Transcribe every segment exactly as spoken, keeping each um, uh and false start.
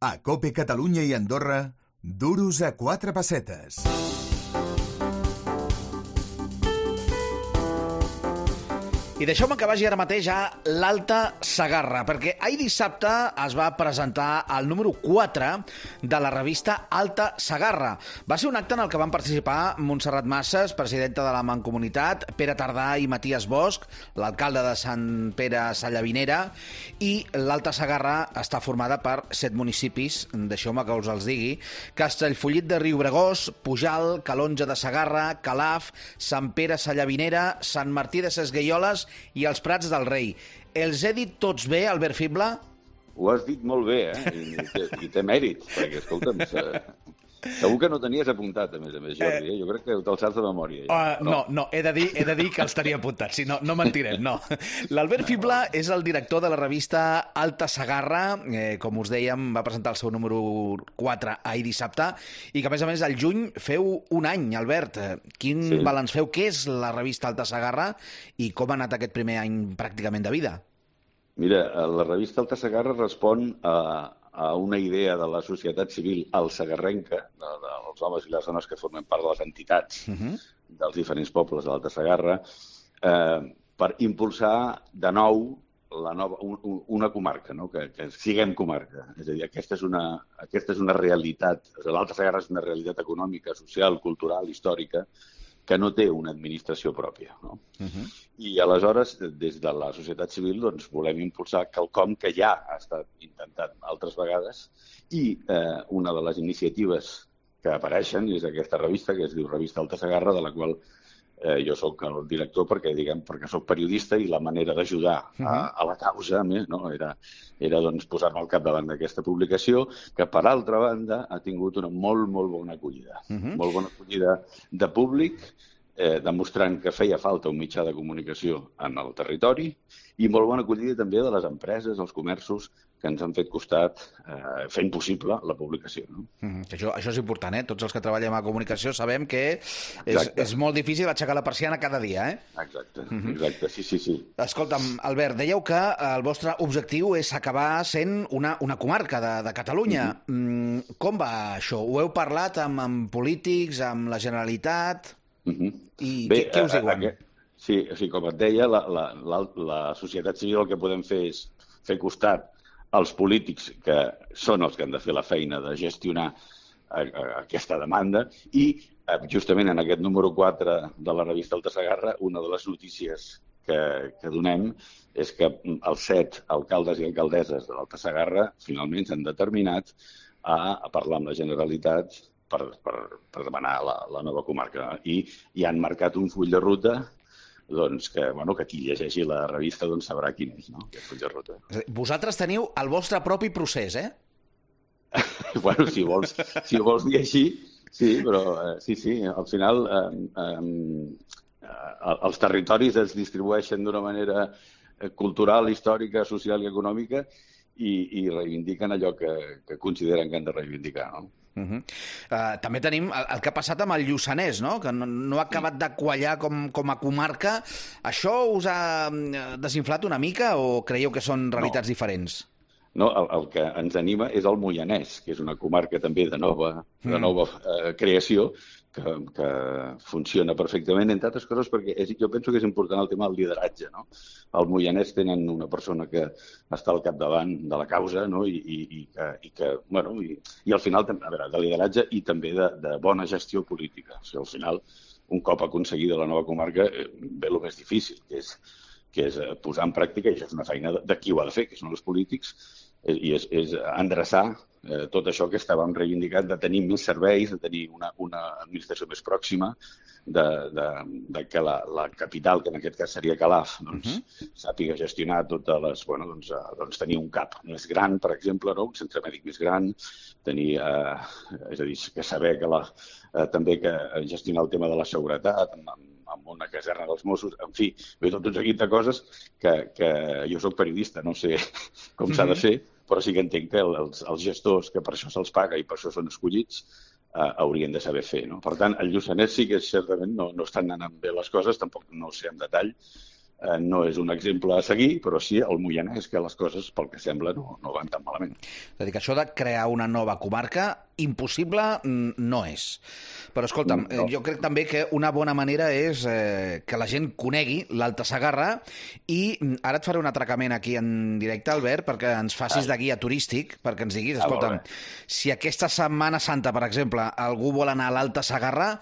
A COPE Catalunya i Andorra, duros a quatre pessetes. I deixeu-me que vagi ara mateix a l'Alta Segarra, perquè ahir dissabte es va presentar el número quatre de la revista Alta Segarra. Va ser un acte en el que van participar Montserrat Masses, presidenta de la Mancomunitat, Pere Tardà i Matías Bosch, l'alcalde de Sant Pere Sallavinera, i l'Alta Segarra està formada per set municipis, deixeu-me que us els digui: Castellfollit de Riubregós, Pujal, Calonge de Segarra, Calaf, Sant Pere Sallavinera, Sant Martí de Sesgueioles i els Prats del Rei. Els he dit tots bé, Albert Fibla? Ho has dit molt bé, eh? I, i, i té mèrit, perquè, escolta'm, segur que no tenies apuntat, a més a més, Jordi, eh? Jo crec que te'l saps de memòria. Ja. Uh, no, no, he de dir, he de dir que els tenia apuntats, si no, no mentirem, no. L'Albert Fibla és el director de la revista Alta Segarra, eh, com us dèiem, va presentar el seu número quatre ahir dissabte, i que, a més a més, al juny feu un any, Albert. Quin sí. balanç feu? Què és la revista Alta Segarra i com ha anat aquest primer any pràcticament de vida? Mira, la revista Alta Segarra respon a, a una idea de la societat civil alsegarrenca, de, dels homes i les dones que formen part de les entitats uh-huh. dels diferents pobles de l'Alta Segarra, eh, per impulsar de nou la nova, un, una comarca, no? que, que siguem comarca. És a dir, aquesta és una, aquesta és una realitat, l'Alta Segarra és una realitat econòmica, social, cultural, històrica, que no té una administració pròpia. No? Uh-huh. I aleshores, des de la societat civil, doncs, volem impulsar quelcom que ja ha estat intentat altres vegades, i eh, una de les iniciatives que apareixen és aquesta revista, que es diu Revista Alta Segarra, de la qual eh, jo sóc el director perquè, diguem, perquè sóc periodista i la manera d'ajudar uh-huh. a, a la causa, a més, no? era, era doncs, posar-me al capdavant d'aquesta publicació, que, per altra banda, ha tingut una molt, molt bona acollida. Uh-huh. Molt bona acollida de públic, eh, demostrant que feia falta un mitjà de comunicació en el territori, i molt bona acollida també de les empreses, els comerços, que ens han fet costat eh, fent possible la publicació. No? Mm-hmm. Això, això és important, eh? Tots els que treballem a comunicació sabem que és, és molt difícil aixecar la persiana cada dia, eh? Exacte, mm-hmm. exacte, sí, sí, sí. Escolta'm, Albert, dèieu que el vostre objectiu és acabar sent una, una comarca de, de Catalunya. Mm-hmm. Mm, com va això? Ho heu parlat amb, amb polítics, amb la Generalitat? Mm-hmm. I Bé, què, què us diuen? A, a, sí, o sigui, com et deia, la, la, la, la societat civil el que podem fer és fer costat als polítics, que són els que han de fer la feina de gestionar a, a, aquesta demanda, i eh, justament en aquest número quatre de la revista Alta Segarra, una de les notícies que, que donem és que els set alcaldes i alcaldesses de l'Alta Segarra finalment s'han determinat a, a parlar amb la Generalitat per, per, per demanar la, la nova comarca. I, i han marcat un full de ruta doncs que, bueno, que qui llegeixi la revista doncs sabrà quin és, no? Aquest full de ruta. Vosaltres teniu el vostre propi procés, eh? Bueno, si vols, si ho vols dir així, sí, però eh, sí, sí, al final eh, eh, els territoris es distribueixen d'una manera cultural, històrica, social i econòmica i, i reivindiquen allò que, que consideren que han de reivindicar, no? Uh-huh. Uh, també tenim el, el que ha passat amb el Lluçanès, no? Que no, no ha acabat de quallar com, com a comarca. Això us ha desinflat una mica o creieu que són realitats no. diferents? No, el, el que ens anima és el Moianès, que és una comarca també de nova, de nova eh, creació, que, que funciona perfectament, entre altres coses, perquè és, jo penso que és important el tema del lideratge. No? Al Moianès tenen una persona que està al capdavant de la causa, no? I, i, i, que, i, que, bueno, i, i al final, a veure, de lideratge i també de, de bona gestió política. O sigui, al final, un cop aconseguida la nova comarca, ve el més difícil, que és que és posar en pràctica, i això és una feina de qui ho ha de fer, que són els polítics, i és, és endreçar eh, tot això que estàvem reivindicant, de tenir més serveis, de tenir una, una administració més pròxima, de, de, de que la, la capital, que en aquest cas seria Calaf, doncs, uh-huh. sàpiga gestionar totes les... Bueno, doncs, eh, doncs tenir un cap més gran, per exemple, no? Un centre mèdic més gran, tenir, eh, és a dir, que saber que la, eh, també que gestionar el tema de la seguretat, amb, amb amb una caserna dels Mossos, en fi, ve tot un seguit de coses que, que jo soc periodista, no sé com mm-hmm. s'ha de fer, però sí que entenc que els, els gestors, que per això se'ls paga i per això són escollits, eh, haurien de saber fer. No? Per tant, el Lluçanès sí que certament no, no estan anant bé les coses, tampoc no ho sé en detall, eh, no és un exemple a seguir, però sí el Moianès, que les coses, pel que sembla, no, no van tan malament. És a dir, que això de crear una nova comarca, impossible no és. Però, escolta'm, no. jo crec també que una bona manera és eh, que la gent conegui l'Alta Segarra i ara et faré un atracament aquí en directe, Albert, perquè ens facis de guia turístic, perquè ens diguis, escolta'm, si aquesta Setmana Santa, per exemple, algú vol anar a l'Alta Segarra,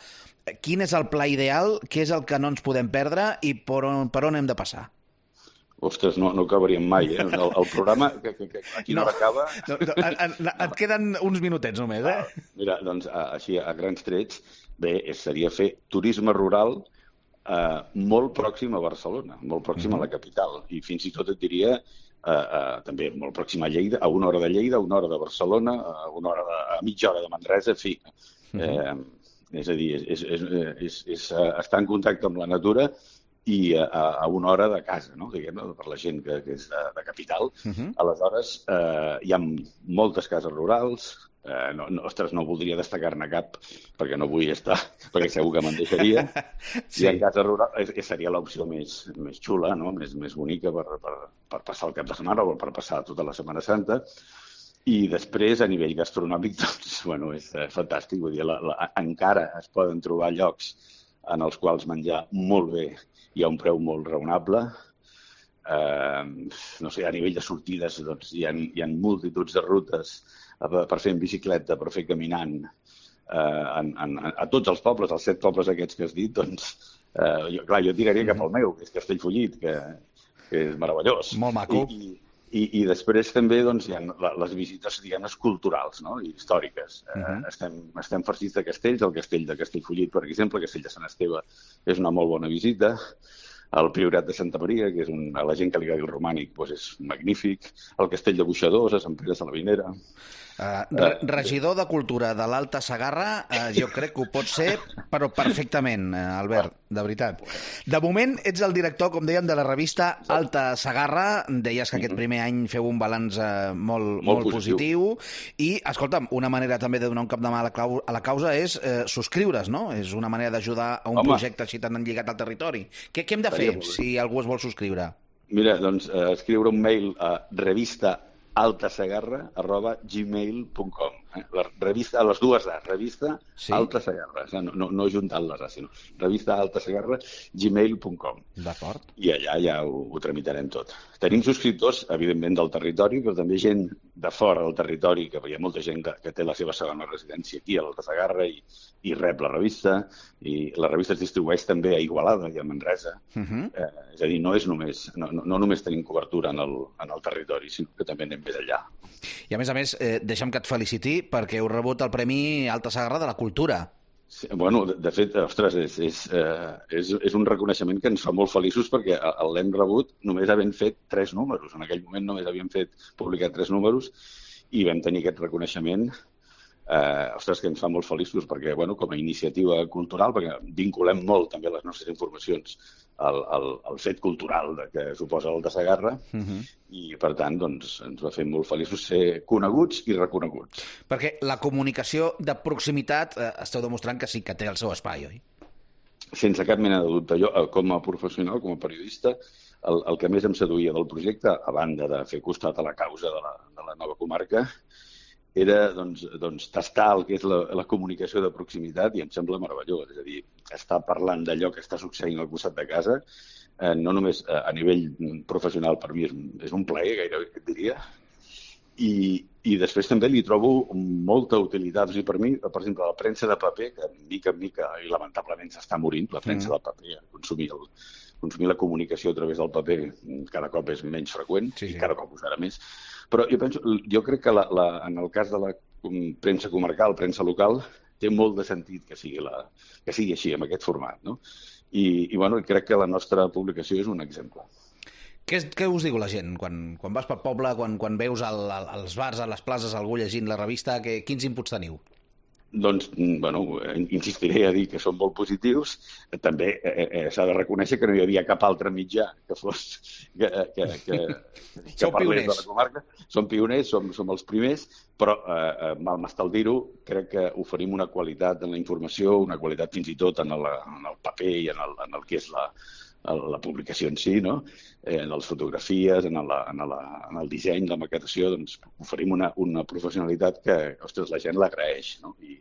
quin és el pla ideal, què és el que no ens podem perdre i per on, per on hem de passar? Ostres, no, no acabaríem mai, eh? El, el programa, que, que, que a quina no, hora acaba... No, no, en, en, et queden uns minutets només, eh? Mira, doncs, així, a grans trets, bé, seria fer turisme rural eh, molt pròxim a Barcelona, molt pròxim mm-hmm. a la capital, i fins i tot et diria eh, eh, també molt pròxim a Lleida, a una hora de Lleida, a una hora de Barcelona, a una hora de, a mitja hora de Manresa, en fi... Mm-hmm. Eh, és a dir, és, és, és, és, és estar en contacte amb la natura i a, a una hora de casa, no? Diguem, per la gent que, que és de, de capital. Uh-huh. Aleshores, eh, hi ha moltes cases rurals, eh, no, no, ostres, no voldria destacar-ne cap perquè no vull estar, perquè segur que me'n deixaria. Sí. I en casa rural eh, seria l'opció més, més xula, no? més, més bonica per, per, per passar el cap de setmana o per passar tota la Setmana Santa. I després, a nivell gastronòmic, doncs, bueno, és eh, fantàstic. Vull dir, la, la, encara es poden trobar llocs en els quals menjar molt bé i a un preu molt raonable. Eh, no sé, a nivell de sortides, doncs, hi ha, hi ha multituds de rutes per fer en bicicleta, per fer caminant. Eh, en, en, a tots els pobles, els set pobles aquests que has dit, doncs, eh, jo, clar, jo tiraria cap al meu, que és Castellfollit, que, que és meravellós. Molt maco. I, i, I, i després també doncs, hi ha les visites, diguem, culturals, no? I històriques. Uh-huh. eh, estem, estem farcits de castells, el castell de Castellfollit, per exemple, el castell de Sant Esteve és una molt bona visita, el Priorat de Santa Maria, que és un, a la gent que li agradi el romànic, doncs és magnífic, el castell de Boixadors, a Sant Pere de Sallavinera... Uh, re regidor de Cultura de l'Alta Segarra, uh, jo crec que ho pot ser, però perfectament, uh, Albert, de veritat. De moment, ets el director, com dèiem, de la revista Alta Segarra. Deies que aquest primer any feu un balanç uh, molt, molt, molt positiu. positiu. I, escolta'm, una manera també de donar un cop de mà a la, a la causa és uh, subscriure's, no? És una manera d'ajudar a un Home. projecte així tan lligat al territori. Què, què hem de fer si algú es vol subscriure? Mira, doncs, uh, escriure un mail a revista altasegarra arroba gmail punt com. Eh? La revista, a les dues A, revista sí. Alta Segarra, no, no, no juntant les A, sinó revista altasegarra gmail punt com. D'acord. I allà ja ho, ho tramitarem tot. Tenim subscriptors, evidentment, del territori, però també gent de fora del territori, que hi ha molta gent que, que té la seva segona residència aquí, a l'Alta Segarra, i, i rep la revista, i la revista es distribueix també a Igualada i a Manresa. Uh-huh. eh, és a dir, no és només, no, no, no només tenim cobertura en el, en el territori, sinó que també anem més enllà. I a més a més, eh, deixa'm que et feliciti perquè heu rebut el Premi Alta Segarra de la Cultura. Sí, bueno, de, de fet, ostres, és, és, eh, és, és un reconeixement que ens fa molt feliços perquè l'hem rebut només havent fet tres números. En aquell moment només havíem fet publicat tres números i vam tenir aquest reconeixement, eh, ostres, que ens fa molt feliços perquè, bueno, com a iniciativa cultural, perquè vinculem molt també les nostres informacions al, al, al fet cultural de que suposa l'Alta Segarra, uh-huh. i per tant doncs, ens va fer molt feliços ser coneguts i reconeguts. Perquè la comunicació de proximitat eh, esteu demostrant que sí que té el seu espai, oi? Sense cap mena de dubte. Jo, com a professional, com a periodista, el, el que més em seduïa del projecte, a banda de fer costat a la causa de la, de la nova comarca, era doncs, doncs, tastar el que és la, la comunicació de proximitat i em sembla meravellós. És a dir, estar parlant d'allò que està succeint al costat de casa, eh, no només a, a nivell professional, per mi és, és un plaer, gairebé, et diria, i, i després també li trobo molta utilitat. O sigui, per mi, per exemple, la premsa de paper, que mica en mica, i lamentablement s'està morint, la premsa mm. de paper, consumir, el, consumir la comunicació a través del paper cada cop és menys freqüent, sí, sí. i cada cop ho serà més. Però jo penso, jo crec que la, la, en el cas de la premsa comarcal, premsa local, té molt de sentit que sigui, la, que sigui així, amb aquest format, no? I, i bueno, crec que la nostra publicació és un exemple. Què, què us diu la gent? Quan, quan vas pel poble, quan, quan veus al, al, als bars, a les places, algú llegint la revista, que, quins inputs teniu? Doncs, bueno, insistiré a dir que són molt positius. També eh, eh, s'ha de reconèixer que no hi havia cap altre mitjà que fos que, que, que, que parlés de la comarca. Som pioners, som, som els primers, però eh, mal m'estal dir-ho, crec que oferim una qualitat en la informació, una qualitat fins i tot en el, en el paper i en el, en el que és la, la publicació en si, no? eh, en les fotografies, en, la, en, la, en el disseny, la maquetació, doncs oferim una, una professionalitat que, ostres, la gent l'agraeix, no? I,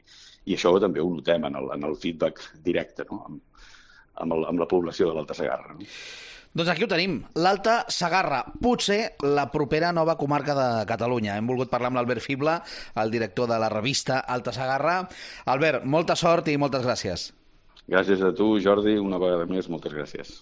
i això també ho notem en el, en el feedback directe, no? amb, amb, el, amb la població de l'Alta Segarra. No? Doncs aquí ho tenim, l'Alta Segarra, potser la propera nova comarca de Catalunya. Hem volgut parlar amb l'Albert Fibla, el director de la revista Alta Segarra. Albert, molta sort i moltes gràcies. Gràcies a tu, Jordi, una vegada més, moltes gràcies.